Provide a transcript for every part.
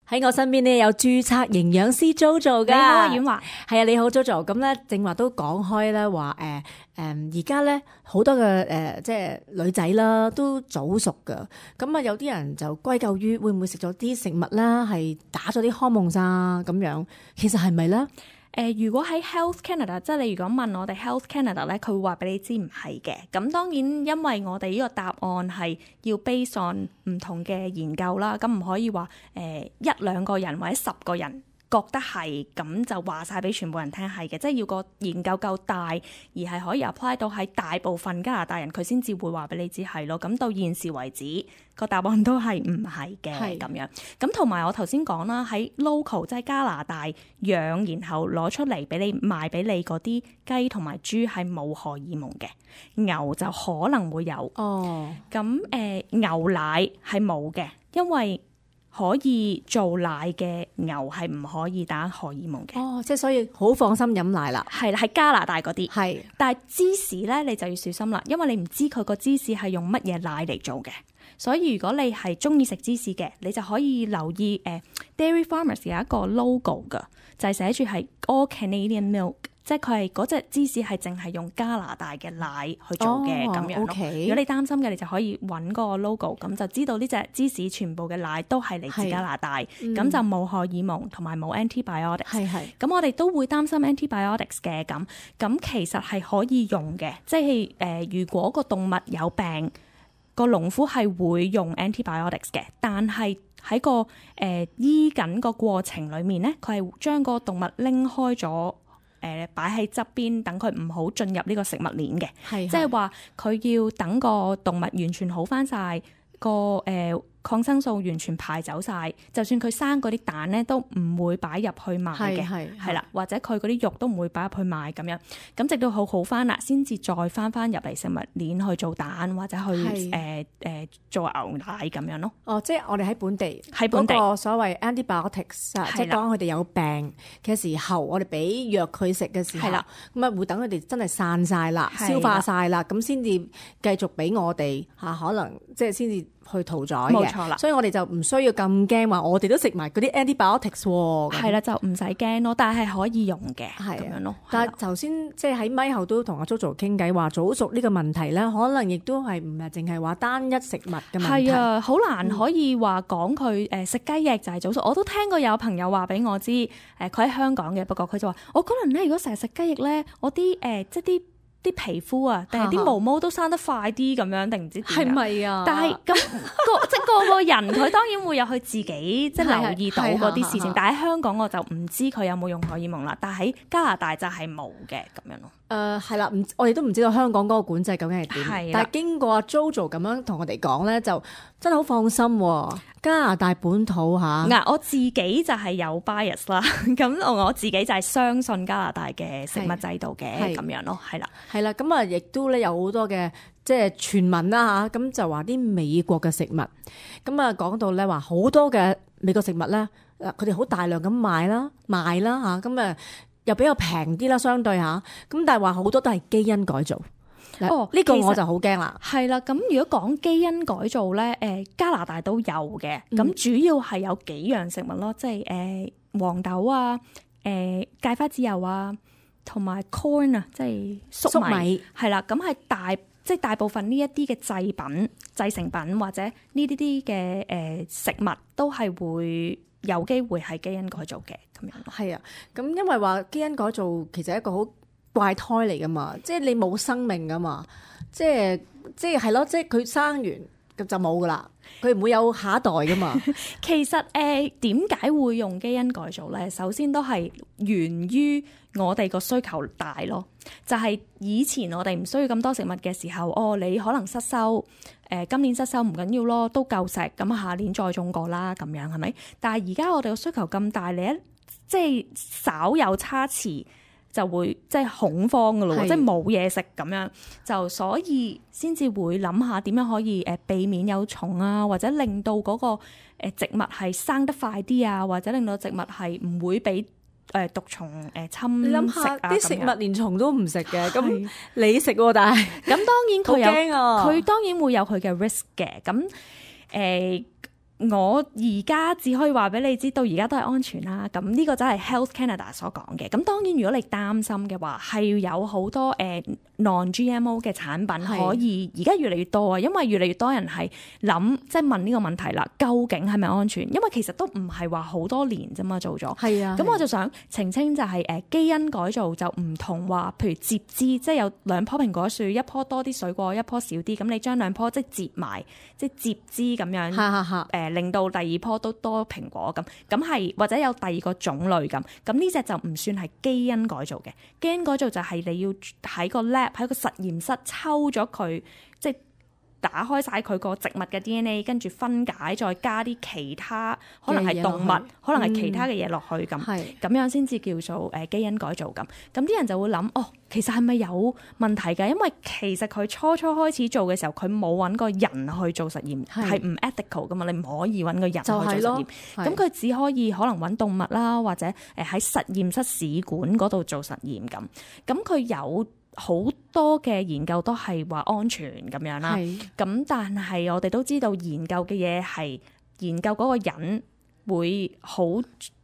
喺我身邊咧有註冊營養師 JoJo 噶。你好啊，婉華。係啊，你好 JoJo。咁咧正話都講開咧話而家咧好多嘅即係女仔啦都早熟噶。咁啊有啲人就歸咎於會唔會食咗啲食物啦，係打咗啲荷爾蒙啊咁樣。其實係咪咧？如果喺 Health Canada， 即係你如果問我哋 Health Canada 咧，佢會話俾你知唔係嘅。咁當然因為我哋呢個答案係要 base on 唔同嘅研究啦，咁唔可以話一兩個人或者10個人覺得係，咁就話晒俾全部人聽係嘅，即係要個研究夠大，而係可以 apply 到喺大部分加拿大人，佢先至會話俾你知係咯。咁到現時為止，個答案都係唔係嘅咁樣。咁同埋我頭先講啦，喺 local 即係加拿大養，然後攞出嚟俾你賣俾你嗰啲雞同埋豬係冇荷爾蒙嘅，牛就可能會有。哦，咁牛奶係冇嘅，因為可以做奶嘅牛係唔可以打荷爾蒙嘅。哦，即係所以好放心飲奶啦。係啦，係加拿大嗰啲。係，但係芝士咧你就要小心啦，因為你唔知佢個芝士係用乜嘢奶嚟做嘅。所以如果你係中意食芝士嘅，你就可以留意Dairy Farmers 有一個 logo 噶，就係寫住係 All Canadian Milk， 即係佢係嗰隻芝士係淨係用加拿大嘅奶去做嘅咁樣咯。Okay。如果你擔心嘅，你就可以揾個 logo， 咁就知道呢隻芝士全部嘅奶都係嚟自加拿大，咁就冇荷爾蒙同埋冇 antibiotics。係。咁我哋都會擔心 antibiotics 嘅，咁其實係可以用嘅，即係如果個動物有病，個農夫係會用 antibiotics 嘅，但係喺個醫緊個過程裡面咧，佢係將個動物拎開咗，擺喺側邊，等佢唔好進入呢個食物鏈嘅。即係話佢要等個動物完全好返晒，個抗生素完全排走晒，就算佢生嗰啲蛋咧都唔會擺入去賣嘅，係啦，或者佢嗰啲肉都唔會擺入去賣咁樣。咁直到好返啦，先至再返入嚟食物鏈去做蛋或者去做牛奶咁樣咯。哦，即係我哋喺本地嗰個所謂 antibiotics， 即係當佢哋有病嘅時候，我哋俾藥佢食嘅時候，咁啊會等佢哋真係散晒啦、消化晒啦，咁先至繼續俾我哋可能即係先至去屠宰嘅。冇錯啦，所以我哋就唔需要咁驚話，我哋都食埋嗰啲 antibiotics 喎。係啦，就唔使驚咯，但係可以用嘅，咁樣咯。但係頭先即係喺咪後都同阿 JoJo 傾偈話，早熟呢個問題咧，可能亦都係唔係淨係話單一食物嘅問題。係啊，好難可以話講佢食雞翼就係早熟。我都聽過有朋友話俾我知，佢喺香港嘅，不過佢就話我嗰輪咧，如果成日食雞翼咧，我啲即係啲皮膚啊，定係啲毛毛都生得快啲咁樣，定唔知點樣？係咪啊？但係咁即係個人，佢當然會有佢自己即係留意到嗰啲事情。但係喺香港我就唔知佢有冇用荷爾蒙啦。但係喺加拿大就係冇嘅咁樣咯。係啦，我哋都唔知道香港嗰個管制究竟係點。但係經過阿 JoJo 咁樣同我哋講咧，就真係好放心喎。加拿大本土我自己就係有 bias 啦。咁我自己就係相信加拿大嘅食物制度嘅咁樣咯，係啦。係啦，咁啊，亦都咧有好多嘅即係傳聞啦嚇，咁就話啲美國嘅食物，咁啊講到咧話好多嘅美國食物咧，佢哋好大量咁賣啦嚇，咁啊又比較平啲啦，相對嚇，咁但係話好多都係基因改造。呢個我就好驚啦。係啦，咁如果講基因改造咧，加拿大都有嘅，咁主要係有幾樣食物咯，即係黃豆啊、芥花籽油啊。同埋 corn 啊，即係粟米，係啦，咁係大部分呢一啲嘅製成品或者呢啲嘅食物都係會有機會係基因改造嘅咁樣咯。係啊，咁因為話基因改造其實係一個好怪胎嚟噶嘛，即係你冇生命噶嘛，即係咯，即係佢生完咁就冇噶啦，佢唔會有下一代噶嘛。其實點解會用基因改造咧？首先都係源於我哋個需求大咯，就係以前我哋唔需要咁多食物嘅時候，你可能失收，今年失收唔緊要咯，都夠食，咁下年再種過啦，咁樣係咪？但係而家我哋個需求咁大，你即係稍有差池就會即係恐慌噶咯，即係冇嘢食咁樣，就所以先至會諗下點樣可以避免有蟲啊，或者令到嗰個植物係生得快啲啊，或者令到植物係唔會俾毒蟲侵蝕。你諗下啲食物連蟲都唔食嘅，咁你食喎，但係咁當然佢有，佢當然會有佢嘅 risk 嘅。咁我而家只可以話俾你知，到而家都係安全啦。咁呢個就係 Health Canada 所講嘅。咁當然，如果你擔心嘅話，係有好多non-GMO 嘅產品可以，而家越嚟越多啊，因為越嚟越多人係諗即係問呢個問題啦，究竟係咪安全？因為其實都唔係話好多年啫嘛，做咗。係啊。咁我就想澄清就係基因改造就唔同話，譬如接枝，即係有兩棵蘋果樹，一棵多啲水果，一棵少啲，咁你將兩棵即係接埋，即係接枝咁樣，令到第二棵都多蘋果咁係，或者有第二個種類咁呢隻就唔算係基因改造嘅。基因改造就係你要喺個 lab 喺個實驗室抽咗佢，即係打開晒佢個植物嘅 DNA， 跟住分解，再加啲其他可能係動物，可能係其他嘅嘢落去咁樣先至叫做基因改造咁啲人就會諗其實係咪有問題㗎？因為其實佢初開始做嘅時候，佢冇揾個人去做實驗，係唔 ethical 噶嘛，你唔可以揾個人去做實驗。咁佢只可以可能揾動物啦，或者喺實驗室試管嗰度做實驗咁佢有好多嘅研究都係話安全咁樣啦，咁但係我哋都知道研究嘅嘢係研究嗰個人會好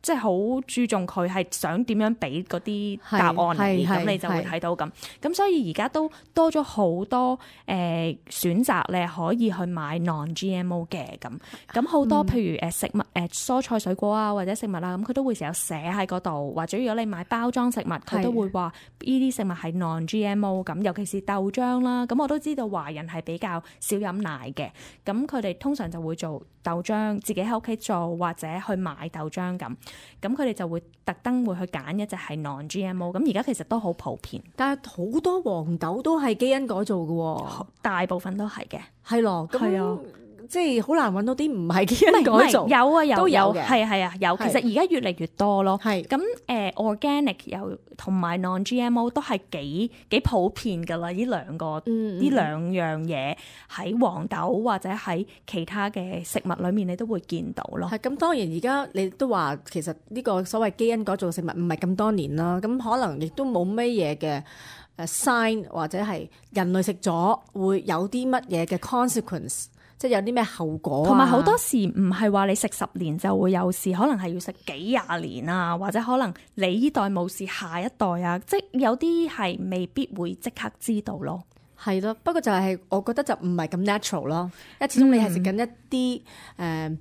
即係好注重佢係想點樣俾嗰啲答案你，咁你就會睇到咁所以而家都多咗好多選擇咧，可以去買 non-GMO 嘅咁好多譬如食物蔬菜水果啊或者食物啊，咁佢都會成日寫喺嗰度，或者如果你買包裝食物，佢都會話呢啲食物係 non-GMO 咁，尤其是豆漿啦。咁我都知道華人係比較少飲奶嘅，咁佢哋通常就會做豆漿，自己喺屋企做或者去買豆漿咁佢哋就會特登會去揀一隻係 non-GMO， 咁而家其實都好普遍。但係好多黃豆都係基因改造嘅喎，大部分都係嘅。係咯，咁即係好難揾到啲唔係基因改造。有啊，有都有嘅，係啊，有。其實而家越嚟越多咯。咁organic 有同埋 non-GMO 都係幾普遍㗎啦。呢兩樣嘢喺黃豆或者喺其他嘅食物裏面，你都會見到咯。係咁，當然而家你都話其實呢個所謂基因改造食物唔係咁多年啦，咁可能亦都冇乜嘢嘅sign 或者係人類食咗會有啲乜嘢嘅 consequence。即係有啲咩後果同埋好多時唔係話你食10年就會有事，可能係要食幾廿年啊，或者可能你呢代冇事，下一代啊，即係有啲係未必會即刻知道咯。係咯，不過就係我覺得就唔係咁 natural 咯，因為始終你係食緊一啲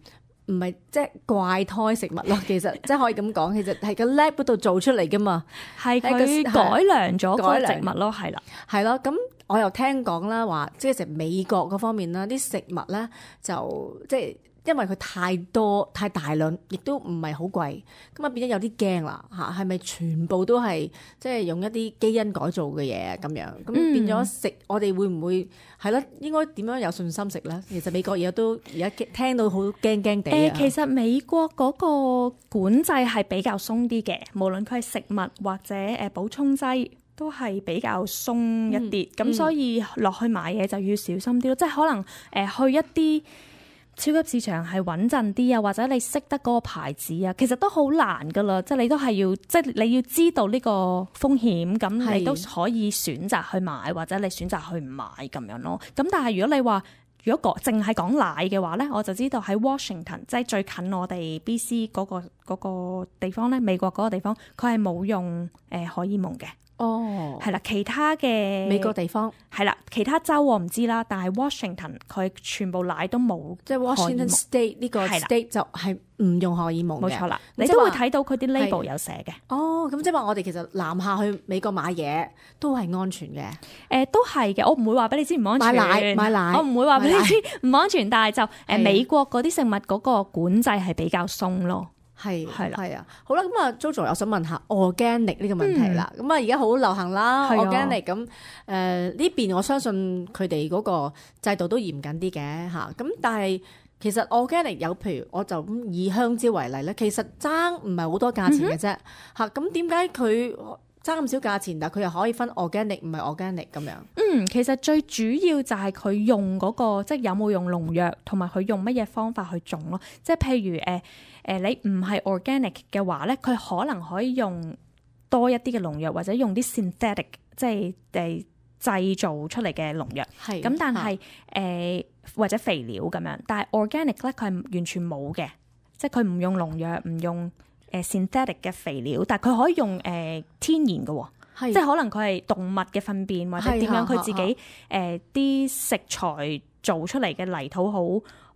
唔係即係怪胎食物咯，其實即係可以咁講，其實係個 lab 嗰度做出嚟噶嘛，係佢改良咗個植物咯，係啦，係咯。咁我又聽講啦，話即係食美國嗰方面啦，啲食物咧就即係因為佢太多太大量，亦都唔係好貴，咁啊變咗有啲驚啦嚇，係咪全部都係即係用一啲基因改造嘅嘢咁樣？咁變咗食我哋會唔會係咯？應該點樣有信心食咧？其實美國而家聽到好驚驚地。其實美國嗰個管制係比較鬆啲嘅，無論佢係食物或者補充劑都係比較鬆一啲，咁所以落去買嘢就要小心啲咯，即係可能去一啲超級市場係穩陣啲啊，或者你識得嗰個牌子啊，其實都好難噶啦，即係你都係要，即係你要知道呢個風險，咁你都可以選擇去買，或者你選擇去唔買咁樣咯。咁但係如果你話如果淨係講奶嘅話咧，我就知道喺 Washington， 即係最近我哋 BC 嗰個地方咧，美國嗰個地方，佢係冇用荷爾蒙嘅。哦，係啦，其他嘅美國地方係啦，其他州我唔知啦，但係 Washington 佢全部奶都冇，即係 Washington State 呢個 state 就係唔用荷爾蒙嘅，冇錯啦，你都會睇到佢啲 label 有寫嘅。哦，咁即係話我哋其實南下去美國買嘢都係安全嘅。都係嘅，我唔會話俾你知唔安全。買奶，我唔會話俾你知唔安全，但係就美國嗰啲食物嗰個管制係比較鬆咯。係啦，係啊，好啦，咁啊 Jojo 我想問下 organic 呢個問題啦，咁啊而家好流行啦 organic， 咁呢邊我相信佢哋嗰個制度都嚴謹啲嘅嚇，咁但係其實 organic 有譬如我就以香蕉為例咧，其實爭唔係好多價錢嘅啫嚇，咁點解佢爭咁少價錢，但係佢又可以分 organic 唔係 organic 咁樣？其實最主要就係佢用嗰個即係有冇用農藥，同埋佢用乜嘢方法去種咯。即係譬如你唔係 organic 嘅話咧，佢可能可以用多一啲嘅農藥，或者用啲 synthetic 即係製造出嚟嘅農藥。咁但係或者肥料咁樣，但係 organic 咧佢係完全冇嘅，即係佢唔用農藥，唔用synthetic 嘅肥料，但係佢可以用天然嘅喎。即係可能佢係動物嘅糞便或者點樣，佢自己啲食材做出嚟嘅泥土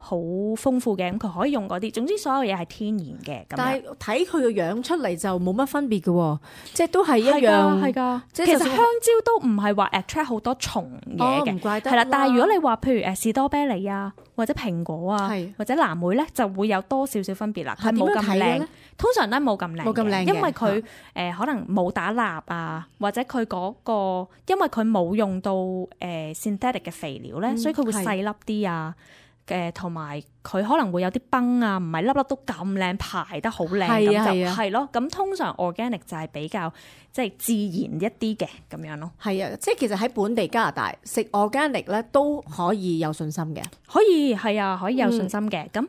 好豐富嘅，咁佢可以用嗰啲。總之所有嘢係天然嘅。但係睇佢個樣出嚟就冇乜分別嘅喎，即係都係一樣。係㗎，其實香蕉都唔係話 attract 好多蟲嘢嘅，唔怪得。係啦，但係如果你話譬如士多啤梨啊，或者蘋果啊，或者藍莓咧，就會有多少少分別啦。係冇咁靚，通常咧冇咁靚，因為佢可能冇打蠟啊，或者佢嗰個因為佢冇用到synthetic 嘅肥料咧，所以佢會細粒啲啊。同埋佢可能會有啲崩啊，唔係粒粒都咁靚，排得好靚咁就係咯。咁通常 organic 就係比較即係自然一啲嘅咁樣咯。係啊，即係其實喺本地加拿大食 organic 咧都可以有信心嘅。可以係啊，可以有信心嘅。咁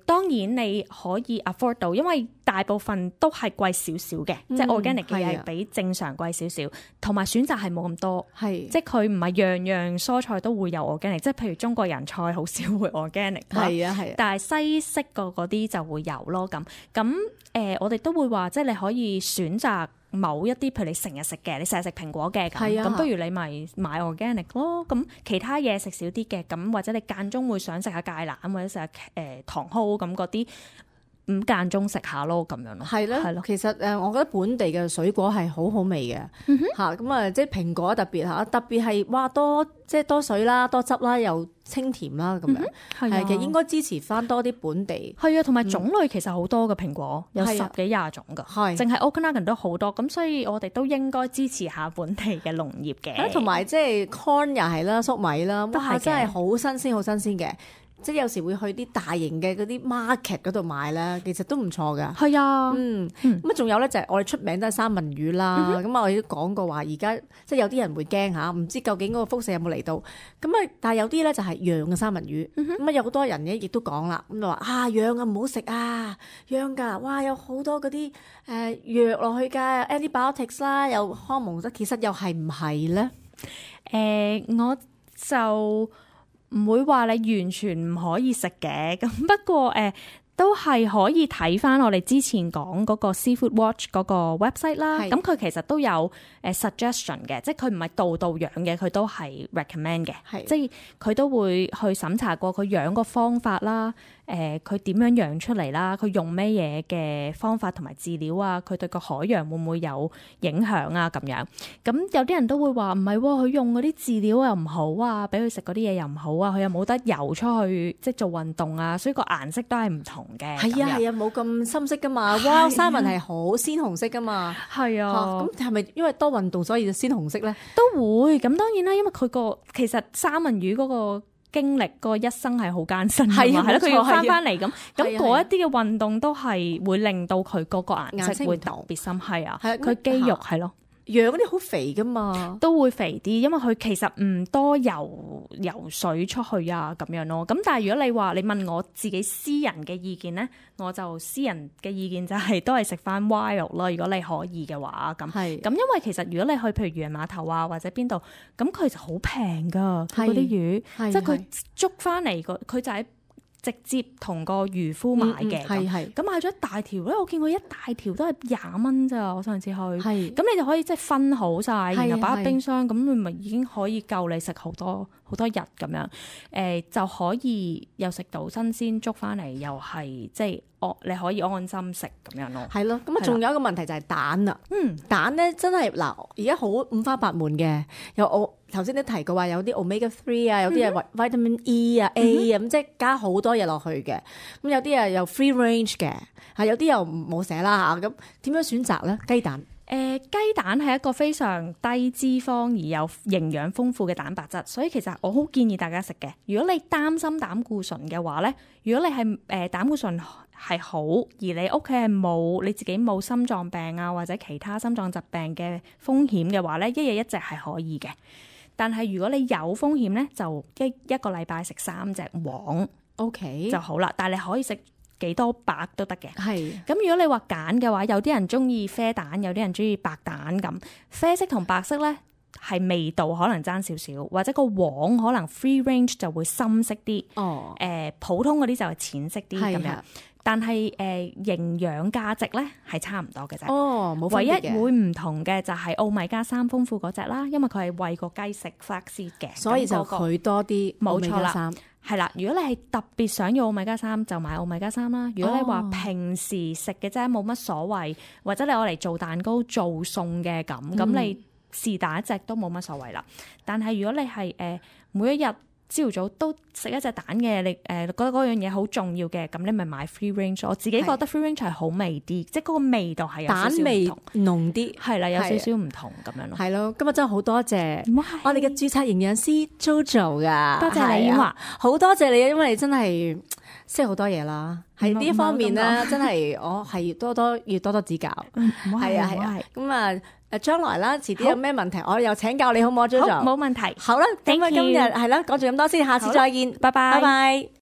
當然你可以 afford 到，因為大部分都係貴少少嘅，即係 organic 嘅嘢係比正常貴少少，同埋選擇係冇咁多。係，即係佢唔係樣樣蔬菜都會有 organic，即係譬如中國人菜好少會 organic。係啊係啊，但係西式嗰啲就會有咯。咁我哋都會話，即係你可以選擇某一啲，譬如你成日食嘅，你成日食蘋果嘅，咁不如你咪買 organic 咯。咁其他嘢食少啲嘅，咁或者你間中會想食下芥蘭或者食下糖蒿咁嗰啲，咁間中食下咯，咁樣咯。係咯，係咯。其實我覺得本地嘅水果係好好味嘅嚇，咁啊即係蘋果特別嚇，特別係哇多即係多水啦，多汁啦，又清甜啦咁樣。係其實應該支持翻多啲本地。係啊，同埋種類其實好多嘅蘋果，有10幾20種㗎。係，淨係 Okanagan 都好多，咁所以我哋都應該支持下本地嘅農業嘅。同埋即係 corn 又係啦，粟米啦，都係真係好新鮮，好新鮮嘅。即係有時會去啲大型嘅嗰啲 market 嗰度買啦，其實都唔錯噶。係啊，咁啊仲有咧就係我哋出名都係三文魚啦。咁我哋都講過話，而家即係有啲人會驚嚇，唔知究竟嗰個輻射有冇嚟到。咁啊，但係有啲咧就係養嘅三文魚。咁啊有好多人咧亦都講啦，咁就話啊養啊唔好食啊，養㗎，哇有好多嗰啲藥落去㗎 antibiotics 啦，又康蒙德，其實又係唔係咧？我就唔會話你完全唔可以食嘅，咁不過都係可以睇翻我哋之前講嗰個 Seafood Watch 嗰個 website 啦。咁佢其實都有suggestion 嘅，即係佢唔係度度養嘅，佢都係 recommend 嘅。即係佢都會去審查過佢養個方法啦，佢點樣養出嚟啦，佢用咩嘢嘅方法同埋飼料啊，佢對個海洋會唔會有影響啊咁樣。咁有啲人都會話唔係喎，佢用嗰啲飼料又唔好啊，俾佢食嗰啲嘢又唔好啊，佢又冇得游出去即係做運動啊，所以個顏色都係唔同嘅。係啊係啊，冇咁深色噶嘛。哇，三文係好鮮紅色噶嘛。係啊。咁係咪因為多運動所以就鮮紅色咧？都會。咁當然啦，因為佢其實三文魚嗰個經歷個一生係好艱辛㗎嘛，係咯，佢要翻嚟咁嗰一啲嘅運動都係會令到佢嗰個顏色會特別深，係啊，佢肌肉係咯。養嗰啲好肥噶嘛，都會肥啲，因為佢其實唔多游水出去啊咁樣咯。咁但係如果你話你問我自己私人嘅意見咧，我就私人嘅意見就係都係食翻 wild 咯。如果你可以嘅話，咁因為其實如果你去譬如漁人碼頭啊或者邊度，咁佢就好平噶，佢嗰啲魚，即係佢捉翻嚟佢就喺直接同個漁夫買嘅，咁買咗一大條咧，我見過一大條都係20蚊咋，我上次去，咁你就可以即係分好晒，然後擺喺冰箱，咁你咪已經可以夠你食好多日咁樣，就可以又食到新鮮捉翻嚟，又係即係你可以安心食咁樣咯。係咯，咁啊仲有一個問題就係蛋啦。蛋咧真係嗱，而家好五花八門嘅，有我頭先都提過話有啲 omega 3啊，有啲係 vitamin E 啊 A 啊，咁即係加好多嘢落去嘅。咁有啲又 free range 嘅，有啲又冇寫啦嚇。咁點樣選擇咧？雞蛋。雞蛋係一個非常低脂肪而有營養豐富嘅蛋白質，所以其實我好建議大家食嘅。如果你擔心膽固醇嘅話咧，如果你係膽固醇係好，而你屋企係冇你自己冇心臟病啊或者其他心臟疾病嘅風險嘅話咧，一日一隻係可以嘅。但係如果你有風險咧，就一個禮拜食3隻黃 ，OK 就好啦。但係你可以食幾多白都得嘅。係。咁如果你話揀嘅話，有啲人中意啡蛋，有啲人中意白蛋咁。啡色同白色咧係味道可能爭少少，或者個黃可能 free range 就會深色啲，普通嗰啲就係淺色啲咁樣。但係營養價值咧係差唔多嘅啫。冇分別嘅。唯一會唔同嘅就係奧米加3豐富嗰隻啦，因為佢係餵個雞食 flaxseed 嘅，所以就佢多啲。冇錯啦，係啦。如果你係特別想要奧米加3，就買奧米加3啦。如果你話平時食嘅啫，冇乜所謂，或者你攞嚟做蛋糕、做餸嘅咁，你是但一隻都冇乜所謂啦。但係如果你係每一日朝早都食一隻蛋嘅，你覺得嗰樣嘢好重要嘅，咁你咪買 free range。我自己覺得 free range 係好味啲，即係嗰個味道係有少少唔同，蛋味濃啲，係啦，有少少唔同咁樣咯。係咯，今日真係好多謝我哋嘅註冊營養師 JoJo 噶，多謝你，婉華，好多謝你，因為你真係識好多嘢啦。喺呢一方面咧，真係我係要多多指教。係啊，咁啊。將來啦，遲啲有咩問題，我又請教你好唔好，JoJo？冇問題。好啦，咁啊，今日係啦，講住咁多先，下次再見，拜拜。